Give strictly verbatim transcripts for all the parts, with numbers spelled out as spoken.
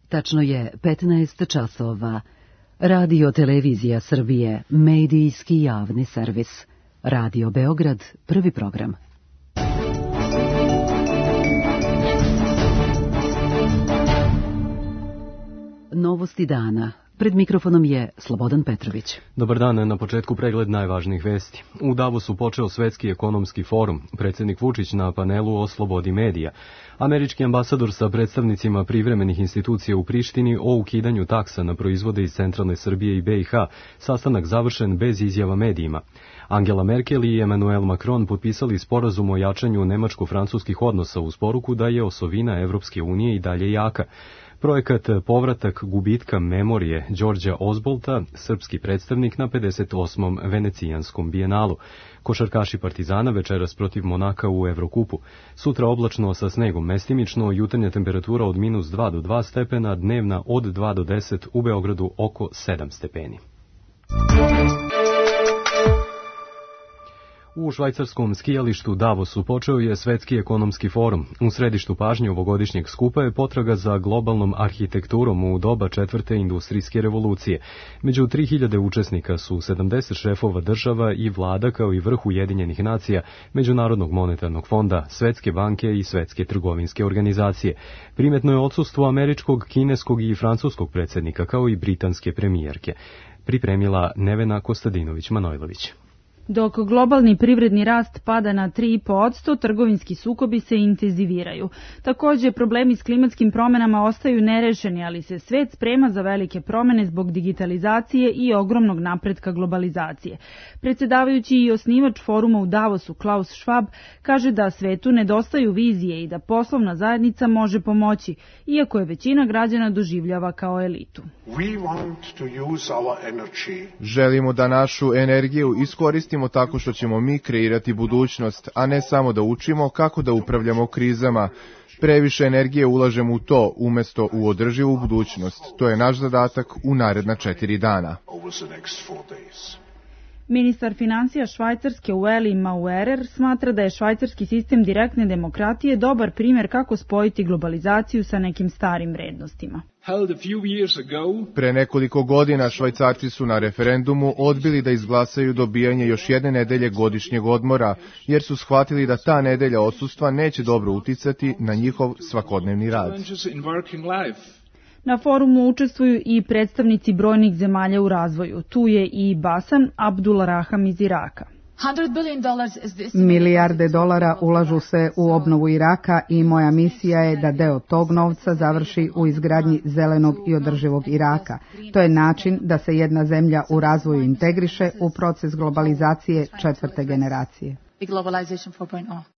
Tačno je petnaest časova. Radio Televizija Srbije, medijski javni servis. Radio Beograd, prvi program. Novosti dana. Pred mikrofonom je Slobodan Petrović. Dobar dan, na početku pregled najvažnijih vesti. U Davosu počeo Svetski ekonomski forum, predsjednik Vučić na panelu o slobodi medija. Američki ambasador sa predstavnicima privremenih institucija u Prištini o ukidanju taksa na proizvode iz centralne Srbije i be i ha, sastanak završen bez izjava medijima. Angela Merkel i Emmanuel Macron potpisali sporazum o jačanju nemačko-francuskih odnosa uz poruku da je osovina Evropske unije i dalje jaka. Projekat Povratak gubitka memorije Đorđa Ozbolta, srpski predstavnik na pedeset osmom Venecijanskom bijenalu. Košarkaši Partizana večeras protiv Monaka u Evrokupu. Sutra oblačno sa snegom mestimično, jutarnja temperatura od minus dva do dva stepena, dnevna od dva do deset, u Beogradu oko sedam stepeni. U švajcarskom skijalištu Davosu počeo je Svetski ekonomski forum. U središtu pažnje ovogodišnjeg skupa je potraga za globalnom arhitekturom u doba četvrte industrijske revolucije. Među tri hiljade učesnika su sedamdeset šefova država i vlada kao i vrh Ujedinjenih nacija, Međunarodnog monetarnog fonda, Svetske banke i Svetske trgovinske organizacije. Primetno je odsustvo američkog, kineskog i francuskog predsjednika kao i britanske premijerke. Pripremila Nevena Kostadinović-Manojlović. Dok globalni privredni rast pada na tri i po posto, trgovinski sukobi se intenziviraju. Također, problemi s klimatskim promjenama ostaju nerešeni, ali se svet sprema za velike promjene zbog digitalizacije i ogromnog napretka globalizacije. Predsjedavajući i osnivač foruma u Davosu, Klaus Schwab, kaže da svetu nedostaju vizije i da poslovna zajednica može pomoći, iako je većina građana doživljava kao elitu. Želimo da našu energiju iskoristimo tako što ćemo mi kreirati budućnost, a ne samo da učimo kako da upravljamo krizama. Previše energije ulažemo u to, umjesto u održivu budućnost. To je naš zadatak u naredna četiri dana. Ministar financija Švajcarske Ueli Maurer smatra da je švajcarski sistem direktne demokratije dobar primjer kako spojiti globalizaciju sa nekim starim vrednostima. Pre nekoliko godina Švajcarci su na referendumu odbili da izglasaju dobijanje još jedne nedelje godišnjeg odmora, jer su shvatili da ta nedelja odsustva neće dobro uticati na njihov svakodnevni rad. Na forumu učestvuju i predstavnici brojnih zemalja u razvoju. Tu je i Basan Abdulrahman iz Iraka. Milijarde dolara ulažu se u obnovu Iraka i moja misija je da deo tog novca završi u izgradnji zelenog i održivog Iraka. To je način da se jedna zemlja u razvoju integriše u proces globalizacije četvrte generacije.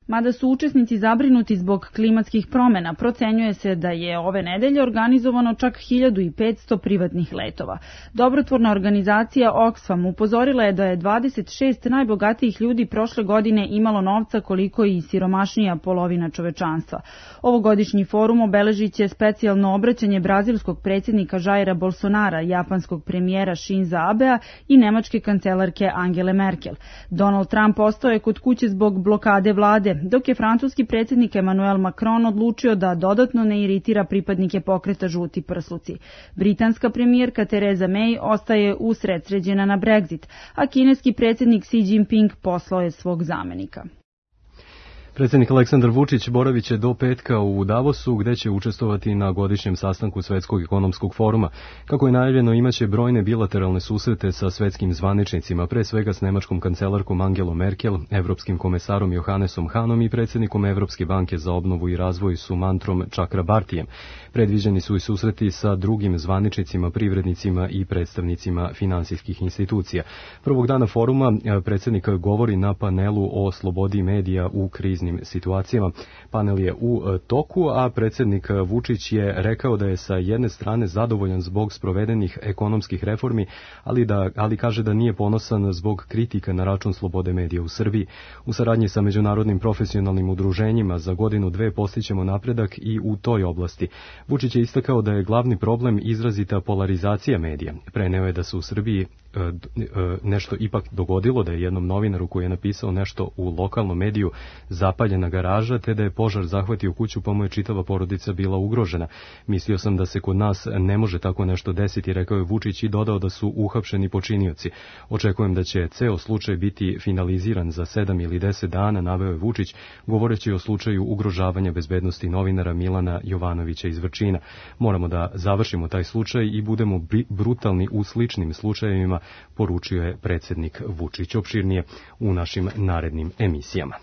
Mada su učesnici zabrinuti zbog klimatskih promjena, procenjuje se da je ove nedelje organizovano čak hiljadu petsto privatnih letova. Dobrotvorna organizacija Oxfam upozorila je da je dvadeset šest najbogatijih ljudi prošle godine imalo novca koliko i siromašnija polovina čovečanstva. Ovogodišnji forum obeležit će specijalno obraćanje brazilskog predsjednika Jaira Bolsonara, japanskog premijera Shinza Abea i nemačke kancelarke Angele Merkel. Donald Trump ostao je kod kuće zbog blokade vlade, dok je francuski predsjednik Emmanuel Macron odlučio da dodatno ne iritira pripadnike pokreta Žuti prsluci. Britanska premijerka Theresa May ostaje usredsređena na Brexit, a kineski predsjednik Xi Jinping poslao je svog zamenika. Predsjednik Aleksandar Vučić boravit će do petka u Davosu, gde će učestvovati na godišnjem sastanku Svetskog ekonomskog foruma. Kako je najavljeno, imaće brojne bilateralne susrete sa svetskim zvaničnicima, pre svega s nemačkom kancelarkom Angelom Merkel, evropskim komesarom Johannesom Hanom i predsjednikom Evropske banke za obnovu i razvoj Sumantrom Chakrabartijem. Predviđeni su i susreti sa drugim zvaničnicima, privrednicima i predstavnicima finansijskih institucija. Prvog dana foruma predsjednik govori na panelu o slobodi medija u kriznim situacijama. Panel je u toku, a predsjednik Vučić je rekao da je sa jedne strane zadovoljan zbog sprovedenih ekonomskih reformi, ali, da, ali kaže da nije ponosan zbog kritika na račun slobode medija u Srbiji. U saradnji sa međunarodnim profesionalnim udruženjima za godinu dve postićemo napredak i u toj oblasti. Vučić je istakao da je glavni problem izrazita polarizacija medija. Preneo je da su u Srbiji nešto ipak dogodilo, da je jednom novinaru koji je napisao nešto u lokalnom mediju zapaljena garaža, te da je požar zahvatio kuću pa mu je čitava porodica bila ugrožena. Mislio sam da se kod nas ne može tako nešto desiti, rekao je Vučić i dodao da su uhapšeni počinioci. Očekujem da će ceo slučaj biti finaliziran za sedam ili deset dana, naveo je Vučić, govoreći o slučaju ugrožavanja bezbednosti novinara Milana Jovanovića iz Vrčina. Moramo da završimo taj slučaj i budemo brutalni u sličnim slučajevima, poručio je predsjednik Vučić. Opširnije u našim narednim emisijama.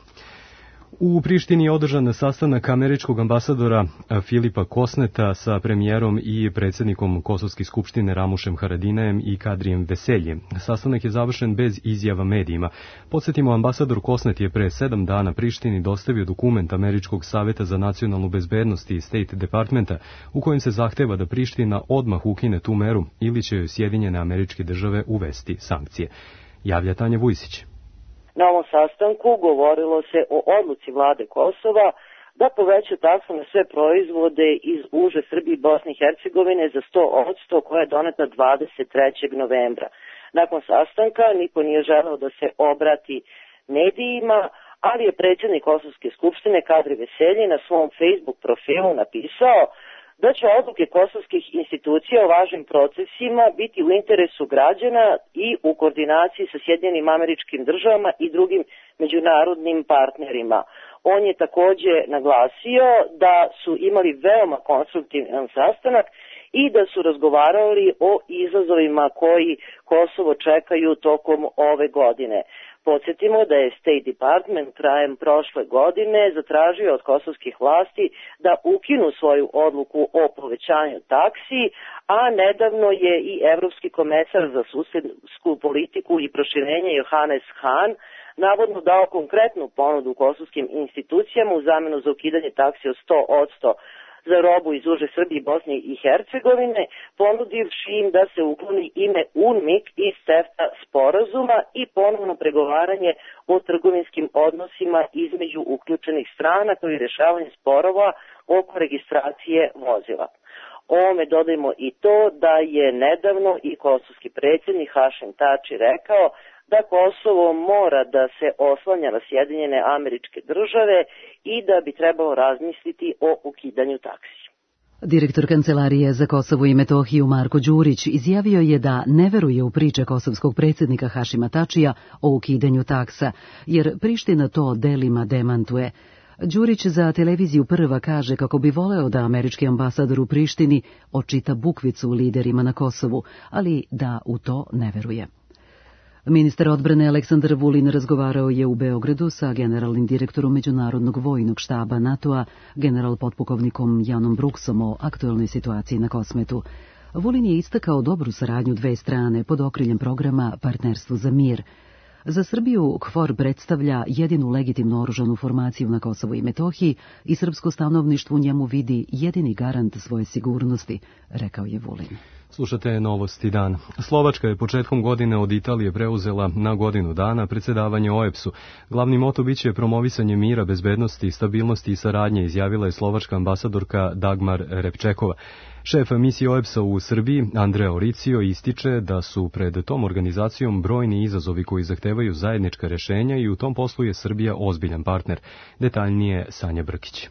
U Prištini je održan sastanak američkog ambasadora Filipa Kosneta sa premijerom i predsjednikom Kosovske skupštine Ramušem Haradinajem i Kadrijem Veseljem. Sastanak je završen bez izjava medijima. Podsjetimo, ambasador Kosnet je pre sedam dana Prištini dostavio dokument Američkog saveta za nacionalnu bezbednost i State Departmenta u kojem se zahteva da Priština odmah ukine tu meru ili će joj Sjedinjene Američke Države uvesti sankcije. Javlja Tanja Vujsić. Na ovom sastanku govorilo se o odluci vlade Kosova da poveća taksu na sve proizvode iz uže Srbije i Bosne i Hercegovine za sto posto koja je doneta dvadeset trećeg novembra. Nakon sastanka niko nije želeo da se obrati medijima, ali je predsjednik Kosovske skupštine Kadri Veselji na svom Facebook profilu napisao da će odluke kosovskih institucija o važnim procesima biti u interesu građana i u koordinaciji sa Sjedinjenim Američkim Državama i drugim međunarodnim partnerima. On je takođe naglasio da su imali veoma konstruktivan sastanak i da su razgovarali o izazovima koji Kosovo čekaju tokom ove godine. Podsjetimo da je State Department krajem prošle godine zatražio od kosovskih vlasti da ukinu svoju odluku o povećanju taksi, a nedavno je i Evropski komesar za susedsku politiku i proširenje Johannes Hahn navodno dao konkretnu ponudu kosovskim institucijama u zamenu za ukidanje taksi od sto posto za robu iz uže Srbije i Bosne i Hercegovine, ponudivši im da se ukloni ime UNMIK iz CEFTA sporazuma i ponovno pregovaranje o trgovinskim odnosima između uključenih strana kao i rešavanje sporova oko registracije vozila. Ovome dodajmo i to da je nedavno i kosovski predsjednik Hašim Tači rekao da Kosovo mora da se oslanja na Sjedinjene Američke Države i da bi trebalo razmisliti o ukidanju taksi. Direktor Kancelarije za Kosovo i Metohiju Marko Đurić izjavio je da ne veruje u priče kosovskog predsjednika Hašima Tačija o ukidanju taksa, jer Priština to delima demantuje. Đurić za televiziju Prva kaže kako bi voleo da američki ambasador u Prištini očita bukvicu liderima na Kosovu, ali da u to ne veruje. Ministar odbrane Aleksandar Vulin razgovarao je u Beogradu sa generalnim direktorom Međunarodnog vojnog štaba NATO-a, general potpukovnikom Janom Bruksom o aktuelnoj situaciji na Kosmetu. Vulin je istakao dobru saradnju dve strane pod okriljem programa Partnerstvo za mir. Za Srbiju KFOR predstavlja jedinu legitimnu oružanu formaciju na Kosovu i Metohiji i srpsko stanovništvo u njemu vidi jedini garant svoje sigurnosti, rekao je Vulin. Slušate Novosti dan. Slovačka je početkom godine od Italije preuzela na godinu dana predsjedavanje O E B S-u. Glavni moto biće promovisanje mira, bezbednosti, stabilnosti i saradnje, izjavila je slovačka ambasadorka Dagmar Repčekova. Šef misije O E B S-a u Srbiji, Andrea Oricio, ističe da su pred tom organizacijom brojni izazovi koji zahtevaju zajednička rešenja i u tom poslu je Srbija ozbiljan partner. Detaljnije Sanja Brkić.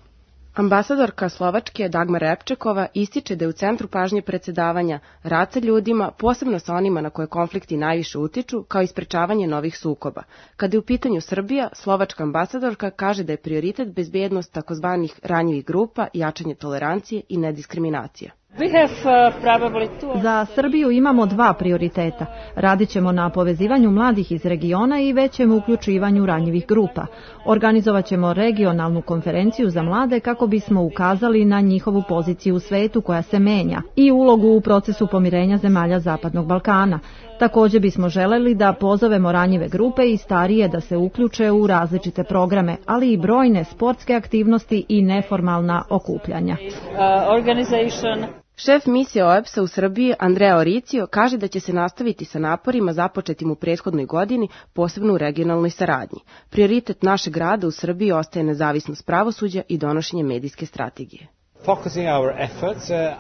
Ambasadorka Slovačke Dagmar Repčekova ističe da je u centru pažnje predsjedavanja rad sa ljudima, posebno sa onima na koje konflikti najviše utiču, kao i sprečavanje novih sukoba. Kada je u pitanju Srbija, slovačka ambasadorka kaže da je prioritet bezbednost takozvanih ranjivih grupa, jačanje tolerancije i nediskriminacija. Za Srbiju imamo dva prioriteta. Radit ćemo na povezivanju mladih iz regiona i većem uključivanju ranjivih grupa. Organizovat ćemo regionalnu konferenciju za mlade kako bismo ukazali na njihovu poziciju u svetu koja se menja i ulogu u procesu pomirenja zemalja Zapadnog Balkana. Također bismo želeli da pozovemo ranjive grupe i starije da se uključe u različite programe, ali i brojne sportske aktivnosti i neformalna okupljanja. Šef misije O E B S-a u Srbiji, Andrea Oricio, kaže da će se nastaviti sa naporima započetim u prethodnoj godini, posebno u regionalnoj saradnji. Prioritet našeg rada u Srbiji ostaje nezavisnost pravosuđa i donošenje medijske strategije.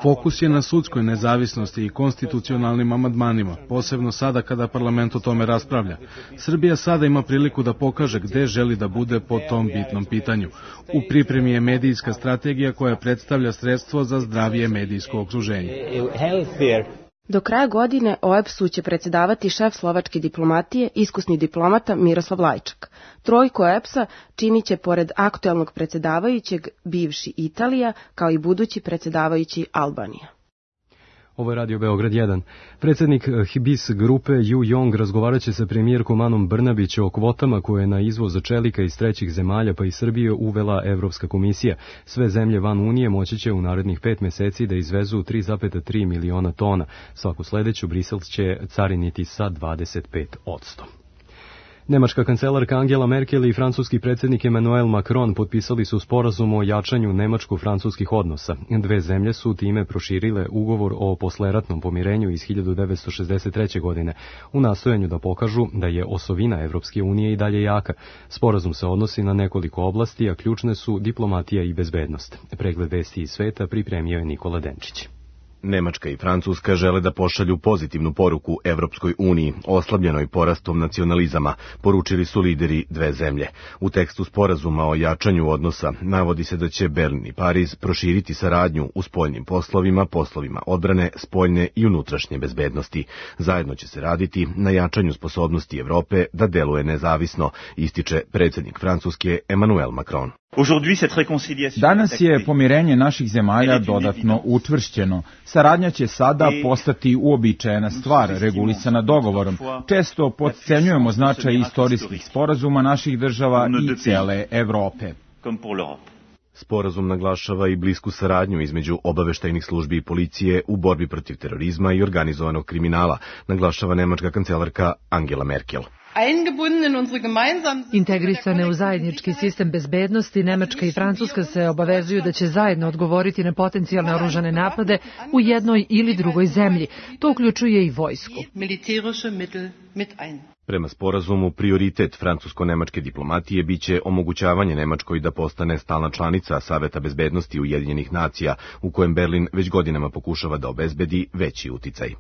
Fokus je na sudskoj nezavisnosti i konstitucionalnim amandmanima, posebno sada kada parlament o tome raspravlja. Srbija sada ima priliku da pokaže gde želi da bude po tom bitnom pitanju. U pripremi je medijska strategija koja predstavlja sredstvo za zdravije medijsko okruženje. Do kraja godine O E B S-u će predsedavati šef slovačke diplomatije, iskusni diplomata Miroslav Lajčak. Trojku O E B S-a činit će pored aktuelnog predsedavajućeg bivši Italija, kao i budući predsedavajući Albanija. Ovo je Radio Beograd jedan. Predsjednik Hibis grupe Yu Yong razgovarat će sa premijerkom Anom Brnabić o kvotama koje je na izvoz čelika iz trećih zemalja pa i Srbije uvela Evropska komisija. Sve zemlje van Unije moći će u narednih pet meseci da izvezu tri zarez tri miliona tona. Svaku sledeću Brisel će cariniti sa dvadeset pet posto. Nemačka kancelarka Angela Merkel i francuski predsjednik Emmanuel Macron potpisali su sporazum o jačanju nemačko-francuskih odnosa. Dve zemlje su time proširile ugovor o posleratnom pomirenju iz hiljadu devetsto šezdeset treće. godine u nastojanju da pokažu da je osovina Evropske unije i dalje jaka. Sporazum se odnosi na nekoliko oblasti, a ključne su diplomatija i bezbednost. Pregled vesti iz sveta pripremio je Nikola Denčić. Nemačka i Francuska žele da pošalju pozitivnu poruku Evropskoj uniji, oslabljenoj porastom nacionalizama, poručili su lideri dve zemlje. U tekstu sporazuma o jačanju odnosa navodi se da će Berlin i Pariz proširiti saradnju u spoljnim poslovima, poslovima odbrane, spoljne i unutrašnje bezbednosti. Zajedno će se raditi na jačanju sposobnosti Evrope da deluje nezavisno, ističe predsjednik Francuske Emmanuel Macron. Danas je pomirenje naših zemalja dodatno učvršćeno. Saradnja će sada postati uobičajena stvar, regulisana dogovorom. Često potcenjujemo značaj istorijskih sporazuma naših država i cele Evrope. Sporazum naglašava i blisku saradnju između obaveštajnih službi i policije u borbi protiv terorizma i organizovanog kriminala, naglašava nemačka kancelarka Angela Merkel. Integrisane u zajednički sistem bezbednosti, Nemačka i Francuska se obavezuju da će zajedno odgovoriti na potencijalne oružane napade u jednoj ili drugoj zemlji. To uključuje i vojsku. Prema sporazumu, prioritet francusko-nemačke diplomatije biće omogućavanje Nemačkoj da postane stalna članica Saveta bezbednosti Ujedinjenih nacija, u kojem Berlin već godinama pokušava da obezbedi veći uticaj.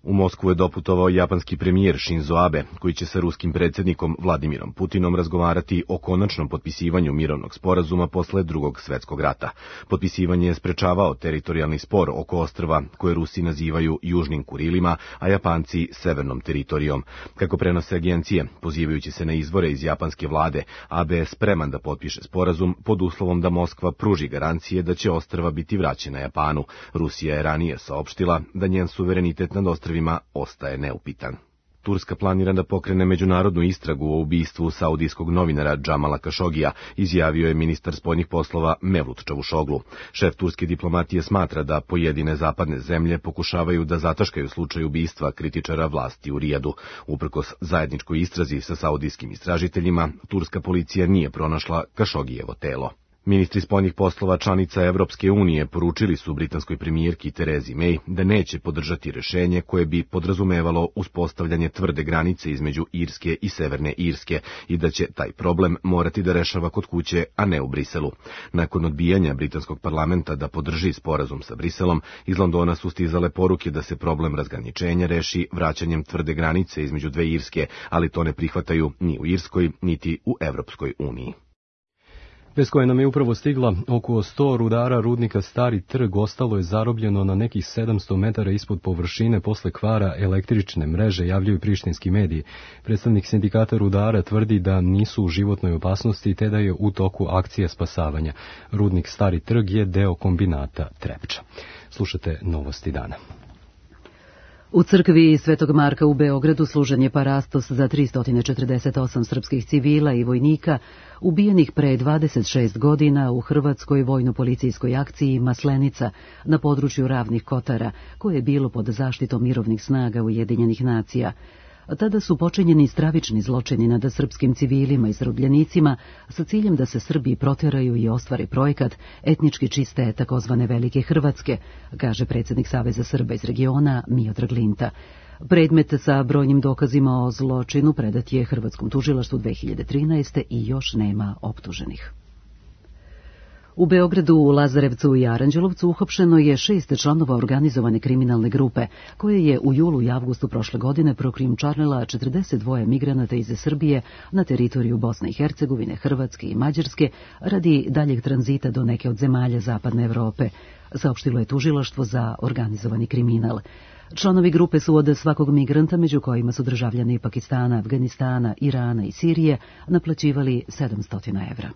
U Moskvu je doputovao japanski premijer Shinzo Abe, koji će sa ruskim predsjednikom Vladimirom Putinom razgovarati o konačnom potpisivanju mirovnog sporazuma posle drugog svetskog rata. Potpisivanje je sprečavao teritorijalni spor oko ostrva koje Rusi nazivaju Južnim Kurilima, a Japanci severnom teritorijom. Kako prenose agencije, pozivajući se na izvore iz japanske vlade, Abe je spreman da potpiše sporazum pod uslovom da Moskva pruži garancije da će ostrva biti vraćena Japanu. Rusija je ranije saopštila da njen suverenitet nad ostrvima ostaje neupitan. Turska planira da pokrene međunarodnu istragu o ubistvu saudijskog novinara Džamala Kašogija, izjavio je ministar spoljnih poslova Mevlut Čavušoglu. Šef turske diplomatije smatra da pojedine zapadne zemlje pokušavaju da zataškaju slučaj ubistva kritičara vlasti u Rijadu. Uprkos zajedničkoj istrazi sa saudijskim istražiteljima, turska policija nije pronašla Kašogijevo telo. Ministri spoljnih poslova članica Evropske unije poručili su britanskoj premijerki Terezi May da neće podržati rešenje koje bi podrazumevalo uspostavljanje tvrde granice između Irske i Severne Irske i da će taj problem morati da rešava kod kuće, a ne u Briselu. Nakon odbijanja britanskog parlamenta da podrži sporazum sa Briselom, iz Londona su stizale poruke da se problem razgraničenja reši vraćanjem tvrde granice između dve Irske, ali to ne prihvataju ni u Irskoj, niti u Evropskoj uniji. Bez koje nam je upravo stigla, oko sto rudara rudnika Stari trg ostalo je zarobljeno na nekih sedamsto metara ispod površine posle kvara električne mreže, javljaju prištinski mediji. Predstavnik sindikata rudara tvrdi da nisu u životnoj opasnosti te da je u toku akcija spasavanja. Rudnik Stari trg je deo kombinata Trepča. Slušate novosti dana. U crkvi Svetog Marka u Beogradu služen je parastos za tristo četrdeset osam srpskih civila i vojnika ubijenih pre dvadeset šest godina u hrvatskoj vojno-policijskoj akciji Maslenica na području Ravnih Kotara, koje je bilo pod zaštitom mirovnih snaga Ujedinjenih nacija. Tada su počinjeni stravični zločini nad srpskim civilima i zarobljenicima sa ciljem da se Srbi proteraju i ostvari projekat etnički čiste takozvane Velike Hrvatske, kaže predsjednik Saveza Srba iz regiona Miodrag Linta. Predmet sa brojnim dokazima o zločinu predat je Hrvatskom tužilaštvu dve hiljade trinaeste. i još nema optuženih. U Beogradu, u Lazarevcu i Aranđelovcu uhapšeno je šest članova organizovane kriminalne grupe, koje je u julu i avgustu prošle godine prokrijumčarila četrdeset dva migranata iz Srbije na teritoriju Bosne i Hercegovine, Hrvatske i Mađarske radi daljeg tranzita do neke od zemalja Zapadne Evrope, saopštilo je tužilaštvo za organizovani kriminal. Članovi grupe su od svakog migranta, među kojima su državljani Pakistana, Afganistana, Irana i Sirije, naplaćivali sedamsto evra.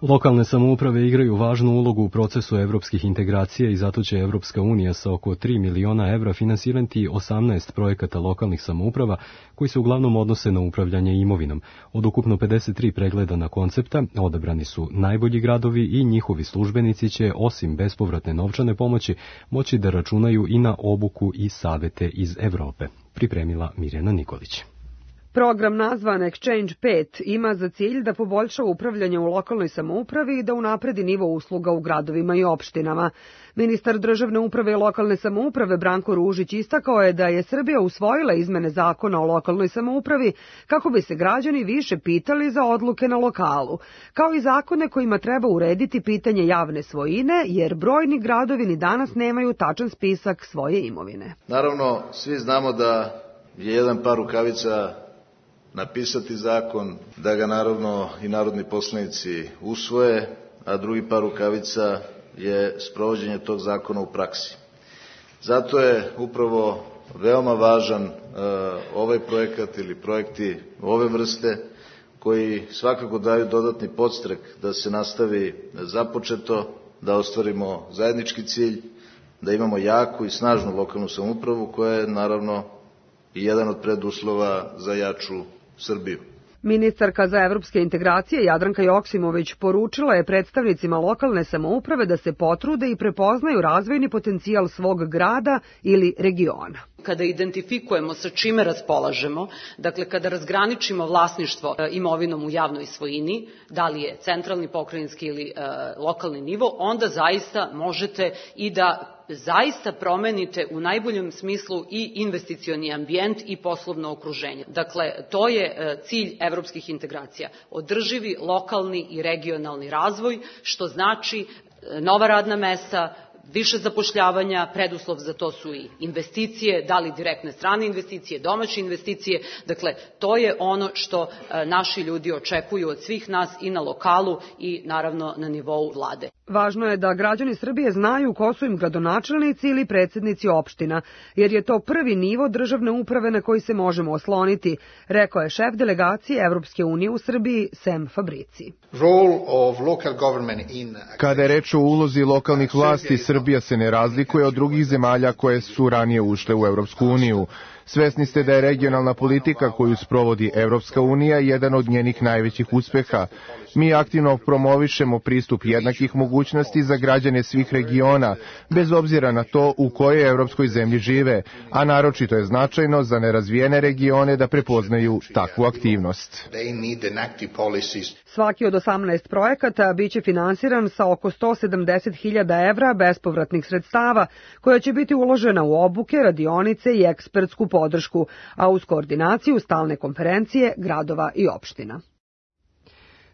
Lokalne samouprave igraju važnu ulogu u procesu evropskih integracija i zato će Evropska unija sa oko tri miliona evra finansirati osamnaest projekata lokalnih samouprava koji se uglavnom odnose na upravljanje imovinom. Od ukupno pedeset tri pregledana koncepta odabrani su najbolji gradovi i njihovi službenici će, osim bespovratne novčane pomoći, moći da računaju i na obuku i savete iz Evrope. Pripremila Mirjana Nikolić. Program nazvan Exchange pet ima za cilj da poboljša upravljanje u lokalnoj samoupravi i da unapredi nivo usluga u gradovima i opštinama. Ministar državne uprave i lokalne samouprave Branko Ružić istakao je da je Srbija usvojila izmene zakona o lokalnoj samoupravi kako bi se građani više pitali za odluke na lokalu, kao i zakone kojima treba urediti pitanje javne svojine, jer brojni gradovi ni danas nemaju tačan spisak svoje imovine. Naravno, svi znamo da je jedan par rukavica napisati zakon, da ga naravno i narodni poslanici usvoje, a drugi par rukavica je sprovođenje tog zakona u praksi. Zato je upravo veoma važan uh, ovaj projekat ili projekti ove vrste koji svakako daju dodatni podstrek da se nastavi započeto, da ostvarimo zajednički cilj, da imamo jaku i snažnu lokalnu samoupravu koja je naravno i jedan od preduslova za jaču Srbiju. Ministarka za evropske integracije Jadranka Joksimović poručila je predstavnicima lokalne samouprave da se potrude i prepoznaju razvojni potencijal svog grada ili regiona. Kada identifikujemo sa čime raspolažemo, dakle kada razgraničimo vlasništvo imovinom u javnoj svojini, da li je centralni, pokrajinski ili e, lokalni nivo, onda zaista možete i da zaista promenite u najboljem smislu i investicioni ambijent i poslovno okruženje. Dakle, to je cilj evropskih integracija. Održivi lokalni i regionalni razvoj, što znači nova radna mesta, više zapošljavanja, preduslov za to su i investicije, da li direktne strane investicije, domaće investicije, dakle to je ono što naši ljudi očekuju od svih nas i na lokalu i naravno na nivou vlade. Važno je da građani Srbije znaju ko su im gradonačelnici ili predsednici opština, jer je to prvi nivo državne uprave na koji se možemo osloniti, rekao je šef delegacije Evropske unije u Srbiji Sem Fabrici. Kada je reč o ulozi lokalnih vlasti, Srbija se ne razlikuje od drugih zemalja koje su ranije ušle u Evropsku uniju. Svesni ste da je regionalna politika koju sprovodi Evropska unija jedan od njenih najvećih uspeha. Mi aktivno promovišemo pristup jednakih mogućnosti za građane svih regiona, bez obzira na to u kojoj evropskoj zemlji žive, a naročito je značajno za nerazvijene regione da prepoznaju takvu aktivnost. Svaki od osamnaest projekata biće finansiran sa oko sto sedamdeset hiljada evra bespovratnih sredstava, koja će biti uložena u obuke, radionice i ekspertsku podršku, a uz koordinaciju stalne konferencije gradova i opština.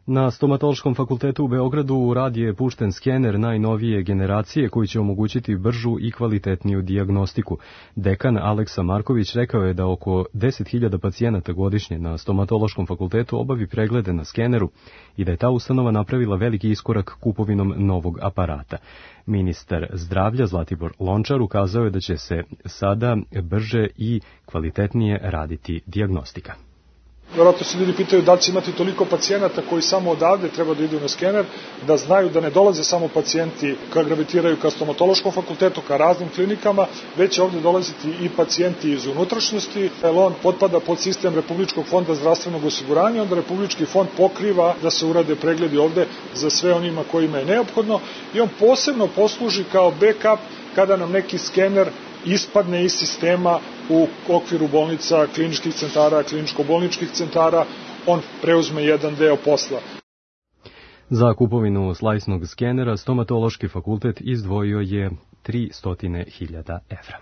Na Stomatološkom fakultetu u Beogradu u rad je pušten skener najnovije generacije koji će omogućiti bržu i kvalitetniju dijagnostiku. Dekan Aleksa Marković rekao je da oko deset hiljada pacijenata godišnje na Stomatološkom fakultetu obavi preglede na skeneru i da je ta ustanova napravila veliki iskorak kupovinom novog aparata. Ministar zdravlja Zlatibor Lončar ukazao je da će se sada brže i kvalitetnije raditi dijagnostika. Vjerojatno se ljudi pitaju da li će imati toliko pacijenata koji samo odavde treba da idu na skener, da znaju da ne dolaze samo pacijenti koji gravitiraju ka stomatološkom fakultetu, ka raznim klinikama, već će ovde dolaziti i pacijenti iz unutrašnjosti, jer on potpada pod sistem Republičkog fonda zdravstvenog osiguranja, onda Republički fond pokriva da se urade pregledi ovde za sve onima kojima je neophodno i on posebno posluži kao backup kada nam neki skener ispadne iz sistema u okviru bolnica, kliničkih centara, kliničko-bolničkih centara, on preuzme jedan deo posla. Za kupovinu slajsnog skenera Stomatološki fakultet izdvojio je tristo hiljada evra.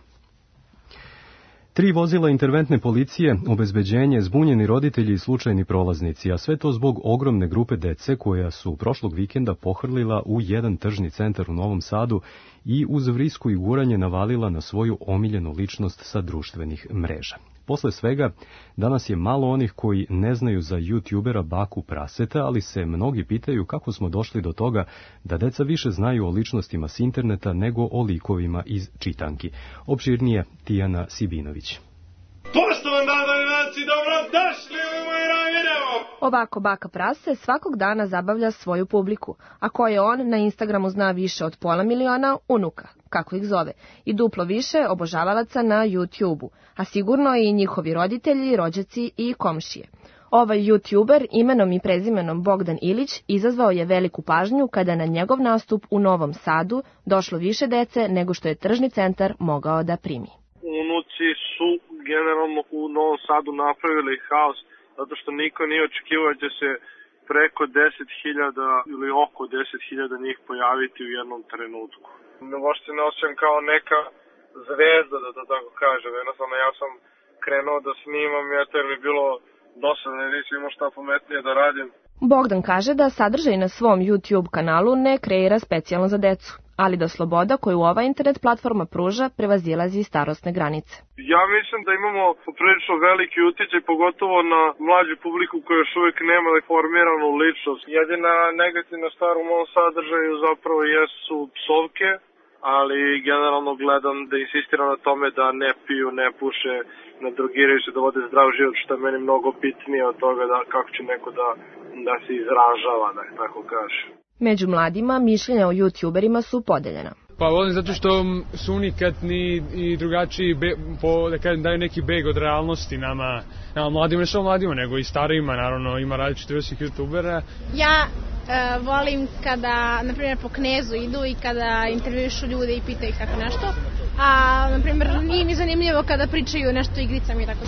Tri vozila interventne policije, obezbeđenje, zbunjeni roditelji i slučajni prolaznici, a sve to zbog ogromne grupe dece koja su prošlog vikenda pohrlila u jedan tržni centar u Novom Sadu i uz vrisku i guranje navalila na svoju omiljenu ličnost sa društvenih mreža. Posle svega, danas je malo onih koji ne znaju za youtubera Baku Praseta, ali se mnogi pitaju kako smo došli do toga da deca više znaju o ličnostima s interneta nego o likovima iz čitanki. Opširnije Tijana Sibinović. Poštovani gledalci, dobrodošli u moj video! Ovako Baka Prase svakog dana zabavlja svoju publiku, a koje on na Instagramu zna više od pola miliona unuka, kako ih zove, i duplo više obožavalaca na YouTubeu, a sigurno i njihovi roditelji, rođaci i komšije. Ovaj YouTuber imenom i prezimenom Bogdan Ilić izazvao je veliku pažnju kada na njegov nastup u Novom Sadu došlo više dece nego što je tržni centar mogao da primi. Unuci su generalno u Novom Sadu napravili haos, zato što niko nije očekivao da će se preko deset hiljada ili oko deset hiljada njih pojaviti u jednom trenutku. Možda se ne osjećam kao neka zvezda, da to tako kažem. Jednostavno, ja sam krenuo da snimam, jer mi je bilo dosadno, nisam imao šta pametnije da radim. Bogdan kaže da sadržaj na svom YouTube kanalu ne kreira specijalno za decu, ali da sloboda koju ova internet platforma pruža prevazilazi starosne granice. Ja mislim da imamo prilično veliki utjecaj, pogotovo na mlađu publiku koja još uvijek nema formiranu ličnost. Jedina negativna stvar u mom sadržaju zapravo jesu psovke, ali generalno gledam da insistiram na tome da ne piju, ne puše, ne drogiraju se, da vode zdrav život, što je meni mnogo bitnije od toga da kako će neko da, da se izražava, da tako kaže. Među mladima mišljenja o youtuberima su podeljena. Pa volim zato što su unikatni i drugačiji, be, po, da kažem, daju neki beg od realnosti nama, nama mladima, ne samo mladima, nego i starijima, naravno, ima različitih vrstnih youtubera. Ja e, volim kada, na primjer, po Knezu idu i kada intervjušu ljude i pitaju ih tako nešto, a, na primjer, nije mi zanimljivo kada pričaju nešto o igricama i tako.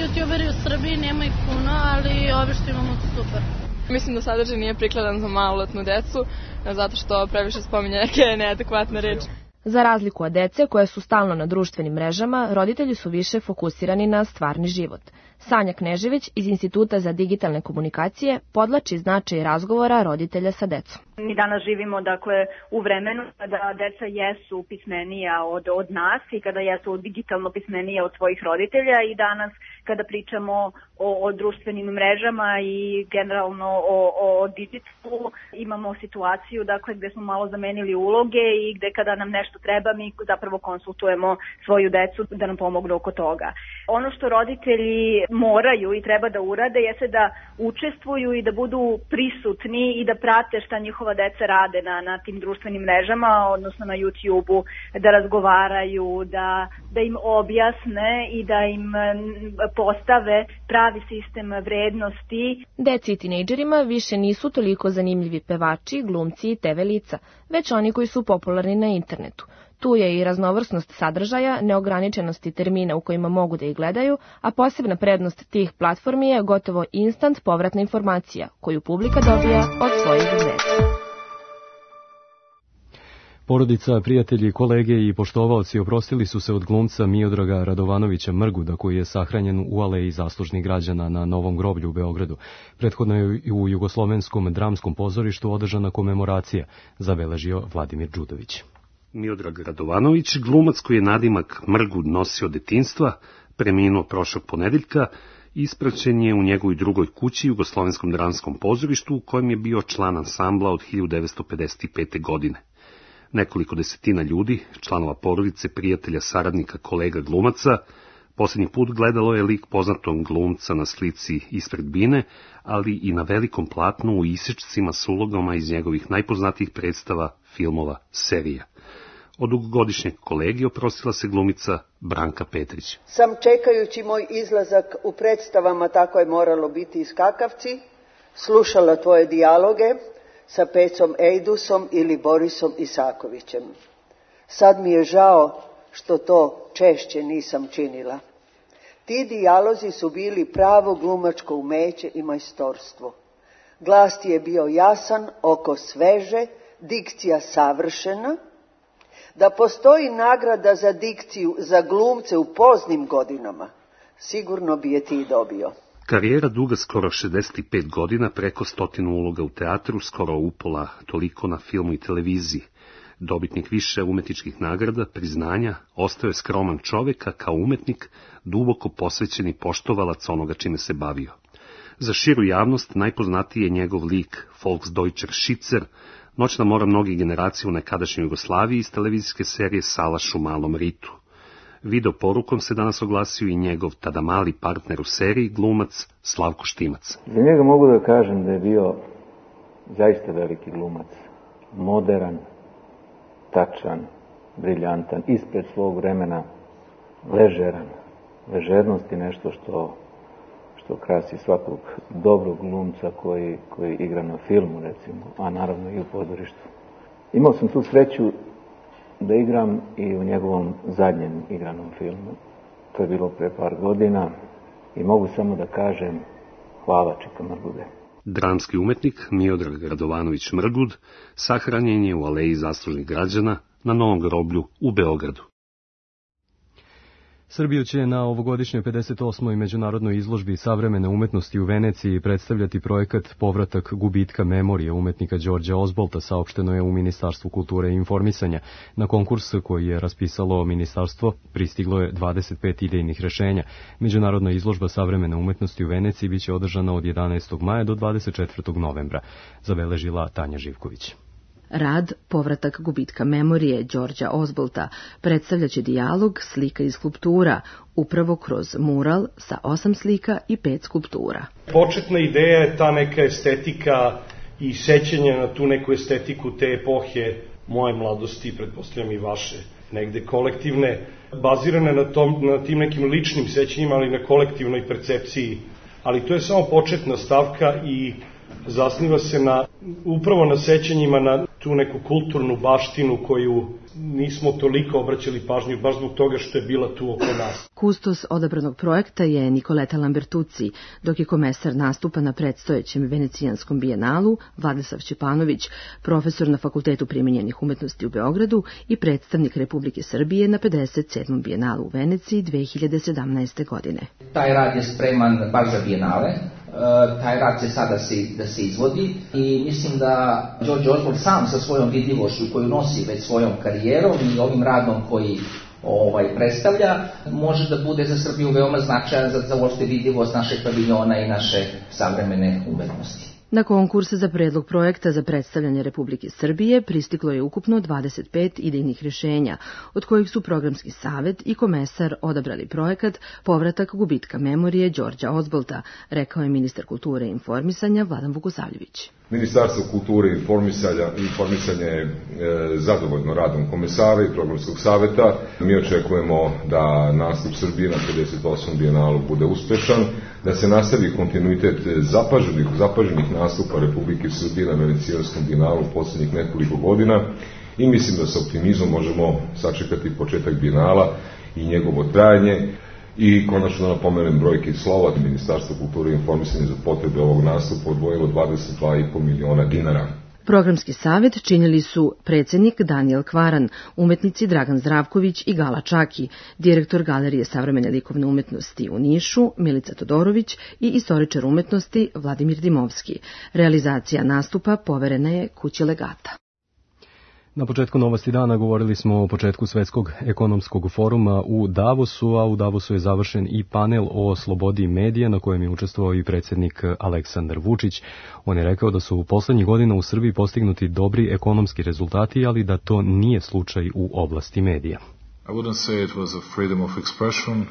Youtuberi u Srbiji nema ih puno, ali ove što imamo su super. Mislim da sadržaj nije prikladan za maloletnu decu, zato što previše spominje neke neadekvatne reči. Za razliku od dece koje su stalno na društvenim mrežama, roditelji su više fokusirani na stvarni život. Sanja Knežević iz Instituta za digitalne komunikacije podlači značaj razgovora roditelja sa decom. Mi danas živimo dakle u vremenu kada deca jesu pismenija od, od nas i kada jesu digitalno pismenija od svojih roditelja i danas kada pričamo o, o društvenim mrežama i generalno o, o digitalu imamo situaciju dakle gde smo malo zamenili uloge i gde kada nam nešto treba mi zapravo konsultujemo svoju decu da nam pomognu oko toga. Ono što roditelji moraju i treba da urade jeste da učestvuju i da budu prisutni i da prate šta njihova deca rade na, na tim društvenim mrežama, odnosno na YouTubeu, da razgovaraju, da, da im objasne i da im postave pravi sistem vrednosti. Deci i tinejdžerima više nisu toliko zanimljivi pevači, glumci i te ve lica, već oni koji su popularni na internetu. Tu je i raznovrsnost sadržaja, neograničenosti termina u kojima mogu da ih gledaju, a posebna prednost tih platformi je gotovo instant povratna informacija, koju publika dobija od svojih zvezda. Porodica, prijatelji, kolege i poštovaoci oprostili su se od glumca Miodraga Radovanovića Mrguda, koji je sahranjen u aleji zaslužnih građana na Novom groblju u Beogradu. Prethodno je u Jugoslovenskom dramskom pozorištu održana komemoracija, zabeležio Vladimir Đudović. Miodrag Radovanović, glumac koji je nadimak Mrgud nosio detinjstva, preminuo prošlog ponedeljka, ispraćen je u njegovoj drugoj kući Jugoslovenskom dramskom pozorištu u kojem je bio član ansambla od hiljadu devetsto pedeset pete. godine. Nekoliko desetina ljudi, članova porodice, prijatelja, saradnika, kolega glumaca, posljednji put gledalo je lik poznatog glumca na slici ispred bine, ali i na velikom platnu u isečcima s ulogama iz njegovih najpoznatijih predstava, filmova, serija. Od dugogodišnjeg kolege oprostila se glumica Branka Petrić. Sam čekajući moj izlazak u predstavama Tako je moralo biti i Skakavci, slušala tvoje dijaloge sa Pecom Ejdusom ili Borisom Isakovićem. Sad mi je žao što to češće nisam činila. Ti dijalozi su bili pravo glumačko umeće i majstorstvo. Glas ti je bio jasan, oko sveže, dikcija savršena. Da postoji nagrada za dikciju za glumce u poznim godinama, sigurno bi je ti dobio. Karijera duga skoro šezdeset pet godina, preko stotinu uloga u teatru, skoro upola toliko na filmu i televiziji. Dobitnik više umetničkih nagrada, priznanja, ostao je skroman čovek, a kao umetnik duboko posvećeni poštovalac onoga čime se bavio. Za širu javnost najpoznatiji je njegov lik Volksdeutscher Schitzer, noćna mora mnogih generacija u nekadašnjoj Jugoslaviji iz televizijske serije Salaš u Malom Ritu. Video porukom se danas oglasio i njegov tada mali partner u seriji, glumac Slavko Štimac. Za njega mogu da kažem da je bio zaista veliki glumac, modern, tačan, briljantan, ispred svog vremena, ležeran. Ležernost je nešto što, što krasi svakog dobrog glumca koji, koji igra na filmu, recimo, a naravno i u pozorištu. Imao sam tu sreću da igram i u njegovom zadnjem igranom filmu. To je bilo pre par godina i mogu samo da kažem hvala Čika Mrgude. Dramski umetnik Miodrag Radovanović Mrgud sahranjen je u Aleji zaslužnih građana na Novom groblju u Beogradu. Srbiju će na ovogodišnjoj pedeset osmoj međunarodnoj izložbi savremene umetnosti u Veneciji predstavljati projekat Povratak gubitka memorije umetnika Đorđa Ozbolta, saopšteno je u Ministarstvu kulture i informisanja. Na konkurs koji je raspisalo ministarstvo pristiglo je dvadeset pet idejnih rešenja. Međunarodna izložba savremene umetnosti u Veneciji biće održana od jedanaestog maja do dvadeset četvrtog novembra, zabeležila Tanja Živković. Rad Povratak gubitka memorije Đorđa Ozbolta predstavljaće dijalog slika i skulptura, upravo kroz mural sa osam slika i pet skulptura. Početna ideja je ta neka estetika i sećanje na tu neku estetiku te epohe moje mladosti, pretpostavljam i vaše, negde kolektivne, bazirane na, tom, na tim nekim ličnim sećanjima, ali na kolektivnoj percepciji. Ali to je samo početna stavka i zasniva se na, upravo na sećanjima na tu neku kulturnu baštinu koju nismo toliko obraćali pažnju, baš zbog toga što je bila tu oko nas. Kustos odabranog projekta je Nikoleta Lambertucci, dok je komesar nastupa na predstojećem Venecijanskom bijenalu Vladislav Ćepanović, profesor na Fakultetu primenjenih umetnosti u Beogradu i predstavnik Republike Srbije na pedeset sedmom bijenalu u Veneciji dve hiljade sedamnaeste. godine. Taj rad je spreman baš za bijenale. Taj rad će sada se, da se izvodi i mislim da Đorđe Ozbolt sam sa svojom vidljivošću koju nosi već svojom karijerom i ovim radom koji ovaj, predstavlja, može da bude za Srbiju veoma značajan za, za uopšte vidljivost našeg paviljona i naše savremene umetnosti. Na konkurs za predlog projekta za predstavljanje Republike Srbije pristiglo je ukupno dvadeset pet idejnih rješenja, od kojih su programski savet i komesar odabrali projekat Povratak gubitka memorije Đorđa Ozbolta, rekao je ministar kulture i informisanja Vladan Vukosavljević. Ministarstvo kulture i informisanja, informisanja je e, zadovoljno radom komesara i programskog saveta. Mi očekujemo da nastup Srbije na pedeset osmom bijenalu bude uspešan, da se nastavi kontinuitet zapaženih, zapaženih nastupa Republike Srbije na Venecijanskom bijenalu u poslednjih nekoliko godina i mislim da sa optimizmom možemo sačekati početak bijenala i njegovo trajanje. I konačno napomenem brojke i slova, Ministarstvo kulture i informisanja za potrebe ovog nastupa odvojilo dvadeset dva i po miliona dinara. Programski savet činili su predsjednik Danijel Kvaran, umetnici Dragan Zdravković i Gala Čaki, direktor Galerije savremene likovne umetnosti u Nišu Milica Todorović i istoričar umetnosti Vladimir Dimovski. Realizacija nastupa poverena je Kući Legata. Na početku novosti dana govorili smo o početku Svetskog ekonomskog foruma u Davosu, a u Davosu je završen i panel o slobodi medija na kojem je učestvovao i predsjednik Aleksandar Vučić. On je rekao da su u poslednjih godina u Srbiji postignuti dobri ekonomski rezultati, ali da to nije slučaj u oblasti medija. I wouldn't say it was a freedom of expression.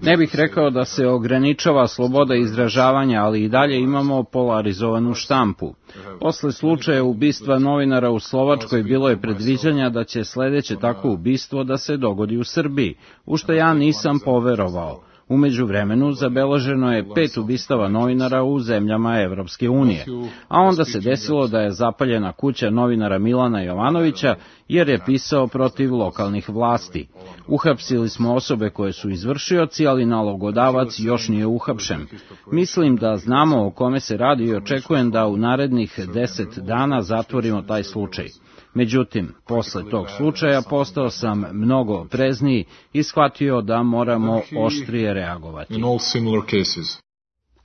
Ne bih rekao da se ograničava sloboda izražavanja, ali i dalje imamo polarizovanu štampu. Posle slučaja ubistva novinara u Slovačkoj bilo je predviđanja da će sledeće takvo ubistvo da se dogodi u Srbiji, u što ja nisam poverovao. U međuvremenu zabeleženo je pet ubistava novinara u zemljama Evropske unije, a onda se desilo da je zapaljena kuća novinara Milana Jovanovića jer je pisao protiv lokalnih vlasti. Uhapsili smo osobe koje su izvršioci, ali nalogodavac još nije uhapšen. Mislim da znamo o kome se radi i očekujem da u narednih deset dana zatvorimo taj slučaj. Međutim, posle tog slučaja postao sam mnogo oprezniji i shvatio da moramo oštrije reagovati.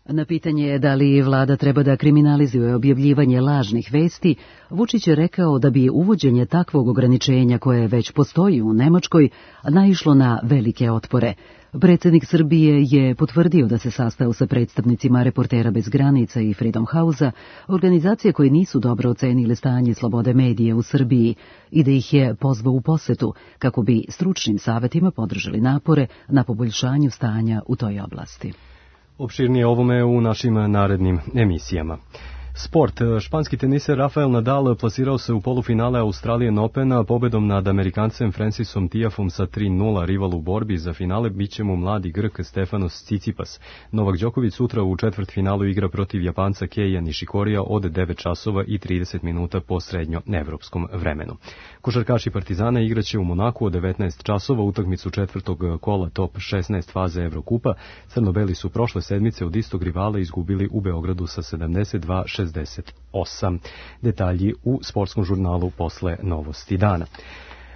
Na pitanje je da li vlada treba da kriminalizuje objavljivanje lažnih vesti, Vučić je rekao da bi uvođenje takvog ograničenja koje već postoji u Nemačkoj naišlo na velike otpore. Predsjednik Srbije je potvrdio da se sastao sa predstavnicima Reportera bez granica i Freedom House-a, organizacije koje nisu dobro ocenile stanje slobode medije u Srbiji, i da ih je pozvao u posetu kako bi stručnim savetima podržali napore na poboljšanju stanja u toj oblasti. Opširnije ovome u našim narednim emisijama. Sport. Španski teniser Rafael Nadal plasirao se u polufinale Australian Opena pobedom nad Amerikancem Francisom Tiafom sa tri nula. Rival u borbi za finale biće mu mladi Grk Stefanos Tsitsipas. Novak Đoković sutra u četvrtfinalu igra protiv Japanca Keija Nishikorija od devet časova i trideset minuta po srednjoevropskom vremenu. Košarkaši Partizana igraće u Monaku od devetnaest časova utakmicu četvrtog kola top šesnaest faze Evrokupa. Crnobeli su prošle sedmice od istog rivala izgubili u Beogradu sa sedamdeset dva šezdeset osam. Detalji u sportskom žurnalu posle novosti dana.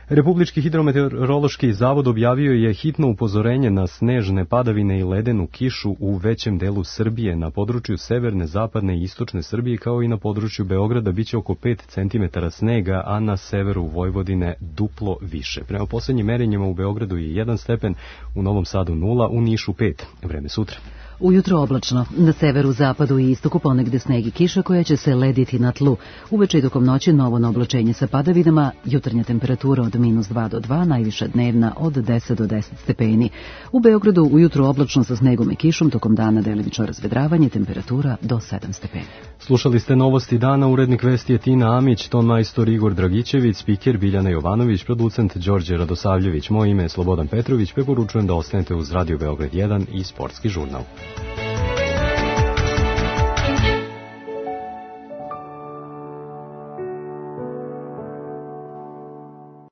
Republički hidrometeorološki zavod objavio je hitno upozorenje na snežne padavine i ledenu kišu u većem delu Srbije. Na području severne, zapadne i istočne Srbije kao i na području Beograda biće oko pet centimetara snega, a na severu Vojvodine duplo više. Prema poslednjim merenjima u Beogradu je jedan stepen, u Novom Sadu nula, u Nišu pet. Vreme sutra. Ujutro oblačno, na severu, zapadu i istoku ponegde sneg i kiša koja će se lediti na tlu. Uveče i tokom noći novo na oblačenje sa padavinama, jutarnja temperatura od minus dva do dva, najviša dnevna od deset do deset stepeni. U Beogradu ujutro oblačno sa snegom i kišom, tokom dana delimično razvedravanje, temperatura do sedam stepeni. Slušali ste novosti dana, urednik vesti je Tina Amić, ton majstor Igor Dragićević, spiker Biljana Jovanović, producent Đorđe Radosavljević. Moje ime je Slobodan Petrović, preporučujem da ostanete uz Radio Beograd jedan i Sportski žurnal.